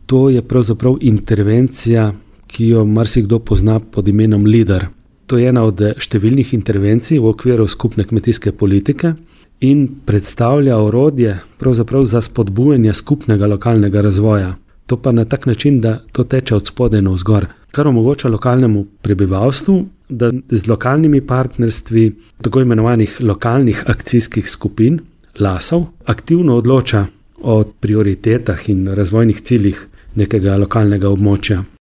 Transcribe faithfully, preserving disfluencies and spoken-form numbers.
To je pravzaprav intervencija, ki jo marsikdo pozna pod imenom LEADER. To je ena od številnih intervencij v okviru skupne kmetijske politike in predstavlja orodje pravzaprav za spodbujanje skupnega lokalnega razvoja. To pa na tak način, da to teče od spodaj navzgor, kar omogoča lokalnemu prebivalstvu, da z lokalnimi partnerstvi, tako imenovanih lokalnih akcijskih skupin, lasov, aktivno odloča o prioritetah in razvojnih ciljih nekega lokalnega območja.